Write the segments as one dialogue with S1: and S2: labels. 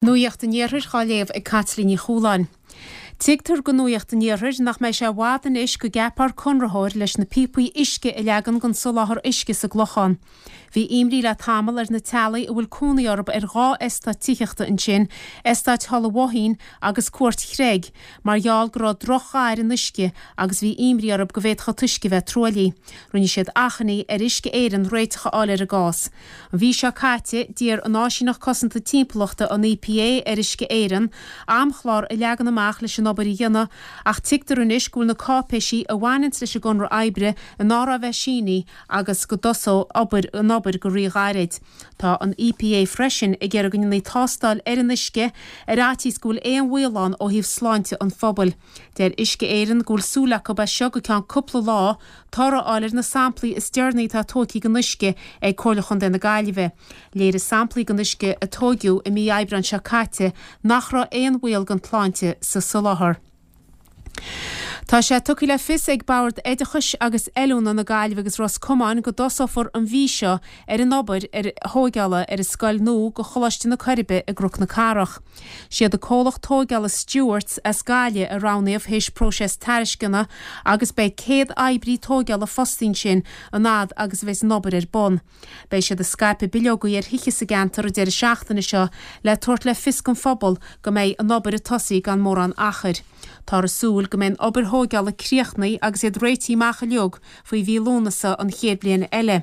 S1: Nuacht an Iarthair dhá léamh ag Caitlín Ní Chualáin. Tuigtear go Nuacht an Iarthair nach mbeidh sé i bhfad anois go gceapfar conraitheoir leis na píopaí uisce a leagan don soláthar uisce sa gClochán. Bhí imní le tamall ar na teaghlaigh a bhfuil cónaí orthu ar dha eastát tithíochta ansin, Eastát Thulaigh Bhoithín agus Cúirt Chreig, mar gheall go raibh droch-dhath ar an uisce agus bhí imní orthu go bhféadfadh an t-uisce a bheith truaillithe. Rinne siad achainí ar Uisce Éireann réiteach a fháil ar an gcás. An mhí seo caite, d'iarr an Áisíneacht Cosanta Timpeallachta, an EPA, ar Uisce Éireann amchlár a leagan amach leis an obair a dhéanamh ach tuigtear anois go bhfuil na cáipéisí a bhaineanns leis an gconradh oibre in áirithe a bheith sínithe agus go dtosóidh obair an obair go rí-ghairid. Tá an EPA freisin ag iarraidh go ndéanfaí tástáil ar an uisce ar fhaitíos go bhfuil aon bhaol ann ó thaobh sláinte an phobail. Deir Uisce Éireann go bhfuil súil acu as seo go ceann cúpla lá toradh a fháil ar na samplaí is deireanaí atá tógtha den uisce ag Comhairle Chontae na Gaillimhe. Léirigh samplaí den uisce a tóigeadh i mí Aibreáin seo caite nach raibh aon bhaol don tsláinte sa soláthar. Tá sé tugtha le fios ag Bord Oideachais agus Oiliúna na Gaillimhe agus Ros Comáin go dtosófar an mhí seo ar an obair ar thóigeála ar an scoil nua go Choláiste na Coiribe i gCnoc na Cathrach. Siad an comhlacht tóigeála Stewarts as Gaillimh a roghnaíodh théis próiseas tairisceana agus beidh 100 oibrí tóigeála fostaithe ansin an fhad agus a bheas an obair ar bun. Beidh siad ag scaipeadh bileogaí ar thithe sa gceantar an deireadh seachtaine seo le tabhairt le fios don phobal go mbeidh an obair ag tosaí gan mórán achair. Táthar ag súil go mbeidh an obair thóigeála críochnaithe agus iad réitithe amach uilig faoi mhí Lúnasa an chéad bhliain eile.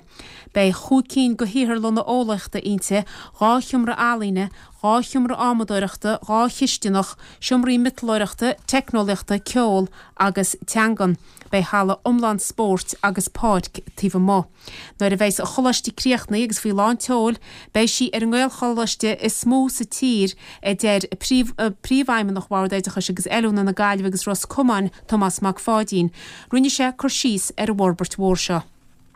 S1: Beidh chúig cinn de shaotharlanna eolaíochta inti, dha sheomra ealaíne, dha sheomra adhmadóireachta, dha chisteanach, seomraí miotalóireachta, teicneolaíochta, ceol agus teangan. Beidh halla iomlán spóirt agus páirc taobh amuigh. Nuair a bheidhs an choláiste críochnaithe agus faoi lán tseoil, beidh sí ar an nGaelcholáiste is mó sa tír, a deir Príomhfheidhmeannach Bhord Oideachais agus Oiliúna na Gaillimhe agus Ros Comáin, Tomás Mac Pháidín. Rinne sé cur síos ar an bhforbairt mhór seo.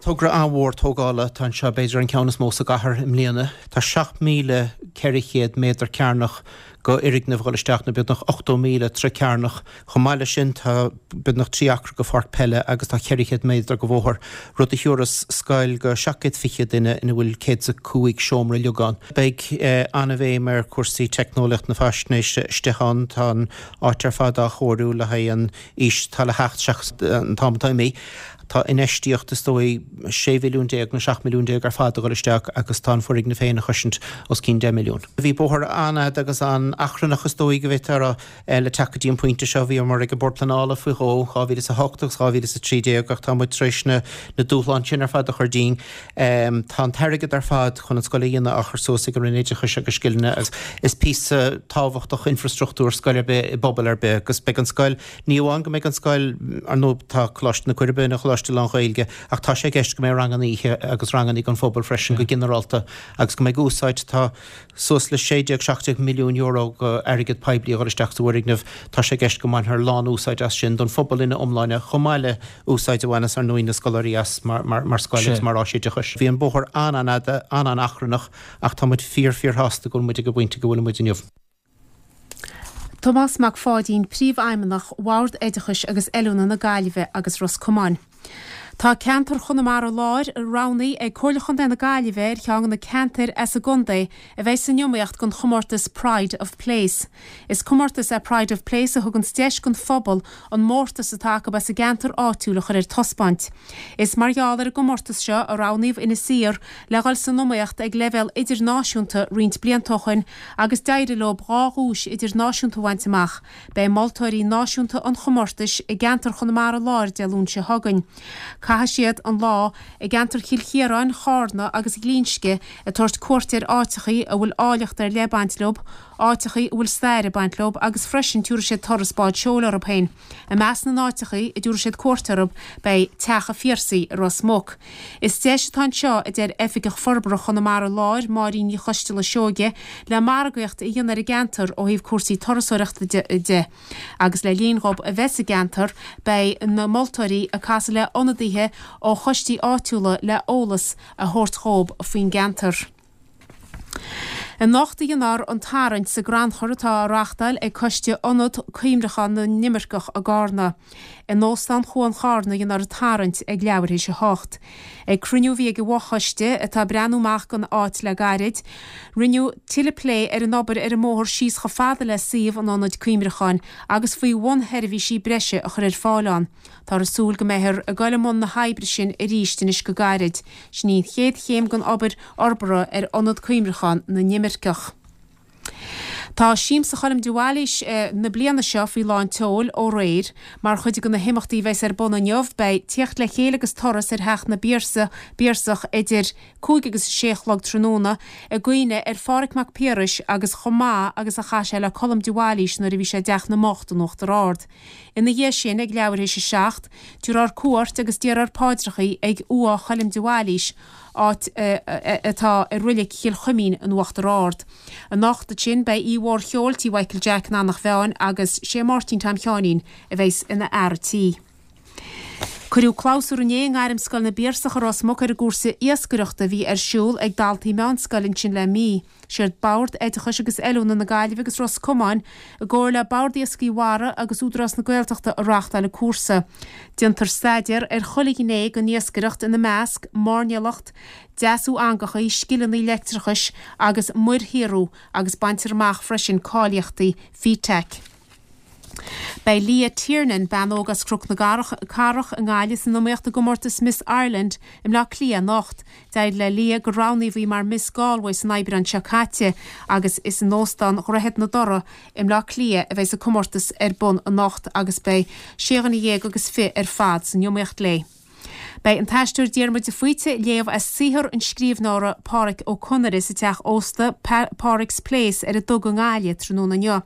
S2: Togra an-mhór tógála atá anseo, b'fhéidir an ceann is mó sa gcathair i mbliana. Tá 7,400 méadar cearnach go fhoirgneamh ag dhul isteach, nó beagnach 80,000 troigh cearnach. Chomh maith leis sin tá beagnach 3 acra go pháirc peile agus tá 400 méadar go bhóthar, rud a thiúrfas scoil go 720 duine ina bhfuil 105 seomra uilig ann. Beidh an-bhéim ar chúrsaí teicneolaíocht na faisnéise istigh ann. Tá an áit ar fad á chóiriú le haghaidh an aois atá le theacht seachas an t-am atá imithe. Tá infheistíocht is dóigh 16 mhilliún nó 17 milliún ar fad a dhul isteach agus tá an foirgneamh féin a chosaint os cionn 10 milliún. Bhí bóthar an-fhada agus an-achrannach is dóigh go bhféadfá a rá le teacht go dtí an pointe seo. Bhíomar ag an Bord Pleanála faoi dhó, 2008 agus 2013 ach tá muid tar éis na dúshláin sin ar fad a chur dínn. Tá an t-airgead ar fad chun an scoil a dhéanamh á chur suas ag an Roinn Oideachais agus Scileanna agus is píosa tábhachtach infrastruchtúr scoil ar bith i bpobal ar bith agus beidh an scoil Ní amháin go mbeidh an scoil, ar ndóigh tá Coláiste na Coiribe ina choláiste lán-Ghaeilge, ach tá sé i gceist go mbeidh ranganna oíche agus ranganna don phobal freisin go ginearálta agus go mbeidh úsáid, tá suas le €16, €17 milliún go airgead poiblí a dhul isteach sa bhfoirgneamh, tá sé i gceist go mbainfear lán-úsáid as sin don phobal ina iomláine chomh maith le úsáid a bhaineas ar ndóigh na scoláirí as mar scoil agus mar áis oideachais. Bhí an bóthar an-an-fhada, an-an-achrannach ach tá muid fíor fíor-shásta go bhfuil muid ag an bpointe go bhfuil muid inniu.
S1: Tomás Mac Pháidín, Príomhfheidhmeannach Bhord Oideachais agus Oiliúna na Gaillimhe agus Ros Comáin. Tá ceantar Chonamara Láir roghnaithe ag Comhairle Chontae na Gaillimhe ar cheann de na ceantair as an gcontae a bheidh san iomaíocht don chomórtas Pride of Place. Is comórtas é Pride of Place a thuganns deis don phobal an mórtas atá acu as a gceantar áitiúil a chur ar taispeáint. Is mar gheall ar an gcomórtas seo a roghnaíodh Inis Oírr le dhul san iomaíocht ag leibhéal idirnáisiúnta roinnt blianta ó shoin agus d'éirigh leo dha dhuais idirnáisiúnta a bhaint amach. Beidh moltóirí náisiúnta an chomórtais i gceantar Chonamara Láir Dé Luain seo chugainn. Caithfidh siad an lá i gceantar Chill Chiaráin, Chárna agus Ghlinsce ag tabhairt cuairt ar áiteachaí a bhfuil áilleacht ar leith ag baint leo, áiteachaí a bhfuil stair ag baint leo agus freisin tiúrfaidh siad turas bád seoil orthu féin. I measc na n-áiteachaí a dtiúrfaidh siad cuairt orthu beidh Teach a' Phiarsaigh i Ros Muc. Is deis atá anseo, a deir Oifigeach Forbartha Chonamara Láir, Máirín Ní Choisteala Seoige, le margaíocht a dhéanamh ar an gceantar ó thaobh cúrsaí turasóireachta de. Agus le linn dhób a bheith sa gceantar beidh na moltóirí ag casadh le ionadaithe ó choistí áitiúla le eolas a thabhairt dhób faoin gceantar. Anocht a dhéanfar an tarraingt sa gcrannchur atá á reáchtáil ag Coiste Ionad Cuimhneacháin na nImirceach i gCarna. In Óstán Chuan Charna a dhéanfar an tarraingt ag leathuair théis 8. Ag cruinniú a bhí ag an bhfochoiste, atá ag breathnú amach don áit le gairid, rinneadh tuilleadh plé ar an obair ar an mbóthar síos chomh fada le suíomh an Ionaid Cuimhneacháin agus faoi bhunsheirbhísí breise a chur ar fáil ann. Táthar ag súil go mbeifear ag dul i mbun na hoibre sin arís anois go gairid. Sin í an chéad chéim den obair fhorbartha ar Ionad Cuimhneacháin na nImirceach. Tá Siamsa Choilm de Bhailís na bliana seo faoi lán tseoil ó aréir. Mar chuid de na himeachtaí a bheas ar bun inniu beidh tíocht le chéile agus turas ar Theach na bPiarsach idir 5 agus 6 a chlog tráthnóna i gcuimhne ar Phádhraic Mac Piarais agus chomh maith agus a chaith sé le Colm de Bhailís nuair a bhí sé i dTeach na mBocht in Uachtar Ard. Ina dhiaidh sin, ag leathuair théis 7, tabharfar cuairt agus déarfar paidreachaí ag Uaigh Choilm de Bhailís, áit atá i Roilic Chill Chuimín in Uachtar Ard. Anocht ansin beidh oíche mhór cheoil tí Mhichael Jack in Eanach Mheáin agus sé Máirtín Tom Sheáinín a bheas ina fhear a' tí. Cuireadh clabhsúr inné i nGairmscoil na bPiarsach i Ros Muc ar an gcúrsa iascaireachta a bhí ar siúl ag daltaí meánscoile ansin le mí. Siad Bord Oideachais agus Oiliúna na Gaillimhe agus Ros Comáin, i gcomhar le Bord Iascaigh Mhara agus Údarás na Gaeltachta a reáchtáil an cúrsa. Déantar staidéar ar chuile ghné den iascaireacht, ina measc, mairnéalacht, deasú eangachaí, scileanna leictreachais agus muirshaothrú agus baintear amach freisin cáilíochtaí FETAC. Beidh Leah Tiernan, bean óg as Cnoc na Cathrach i nGaillimh san iomaíocht i gcomórtas Miss Ireland i mBleá Cliath anocht. D'éirigh le Leah gur roghnaíodh í mar Miss Galway san Aibreán seo caite agus is in Óstán Dhroichead na dToraí i mBleá Cliath a bheidh an comórtas ar bun anocht agus beidh sé dhuine dhéag agus fiche ar fad san iomaíocht léi. Beidh an t-aisteoir Diarmuid de Faoite ag léamh as saothar an scríbhneora Pádraic Ó Conaire sa teach ósta Pádraic's Place ar an Duga i nGaillimh tráthnóna inniu.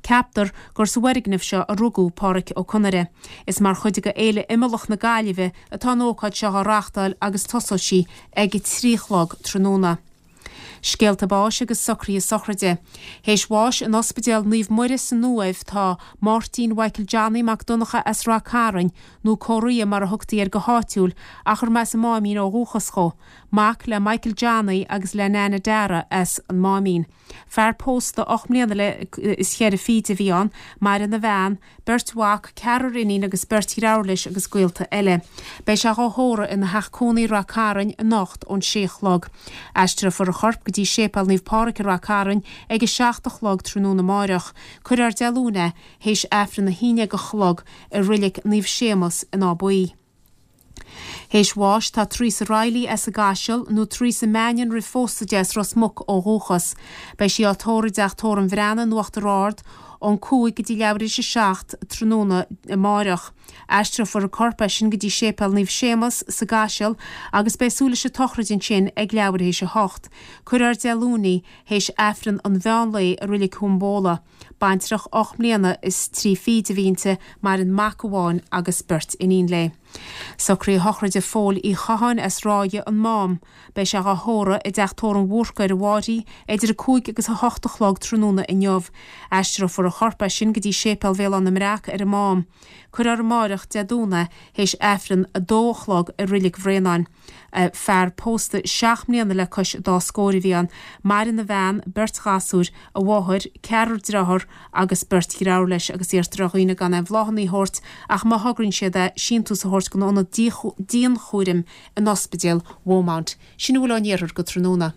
S1: Ceaptar gur sa bhfoirgneamh seo a rugadh Pádraic Ó Conaire. Is mar chuid de Fhéile Imeallach na Gaillimhe atá an ócáid seo á reáchtáil agus tosóidh sí ag a 3 a chlog tráthnóna. Scéalta báis agus socruithe sochraide. Théis bháis in Ospidéal Naomh Muire san Uaimh tá Máirtín Mhichael Johnny Mac Donncha as Rath Cairn, nó Córaí mar a thugtaí air go háitiúil ach gurb as an Máimín ó dhúchas dhó, mac le Michael Johnny agus le Nana Dara as an Máimín. Fear pósta 8 mbliana le is cheithre fichid a bhí ann, maireann a bhean, beirt mhac, ceathrar iníon agus beirt dhreabhar leis agus gaolta eile. Beidh sé dhá thórramh ina theach cónaí i Rath Cairn anocht ón sé a chlog. Aistreofar a chorp go dtí Séipéal Naomh Pádraig i Rath Cairn ag a 7 a chlog tráthnóna amáireach. Cuirfear Dé Luain é théis Aifreann a haon déag a chlog i Roilic Naomh Séamus in Áth Buí. Théis bháis tá Teresa Reilly as an gCaiseal, nó Teresa Mannion roimh phósadh di as Ros Muc ó dhúchas. Beidh sí á tórramh i dTeach Tórraimh an Bhreathnaigh in Uachtar Ard ón 5 go dtí leathuair théis a 7 tráthnóna amáireach. Aistreofar a corp as sin go dtí Séipéal Naomh Séamus sa gCaiseal agus beidh súil leis an tsochraid ansin ag leathuair théis a 8. Cuirfear Dé Luain í théis Aifreann an mheán lae i Roilic Thuam Bóla. Baintreach 8 mbliana is 3 fichid a bhí inti, maireann mac amháin agus beirt iníon léi. Socruithe sochraide Phóil Uí Chatháin as Ráithe, an Mám. Beidh sé dhá thórramh i dTeach Tórraimh Bhúrca ar an bhFairche idir 5 agus 8 a chlog tráthnóna inniu. Aistreofar a chorp as sin go dtí Séipéal Bhéal Átha na mBreac ar an Mám. Cuirfear amáireach, Dé Domhnaigh, théis Aifreann 2 a chlog i Roilic Bhréanainn. Fear pósta seacht mbliana le cois an dá scór a bhí ann. Maireann a bhean, beirt ghasúr, a mháthair, ceathrar dearthár agus beirt dhreabhar leis agus iarrtar ar dhaoine gan aon bhláthanna a thabhairt ach má thograíonn siad é, síntiús a thabhairt don ionad dianchúraim in Ospidéal Bheaumont. Sin a bhfuil ón iarthar go tráthnóna.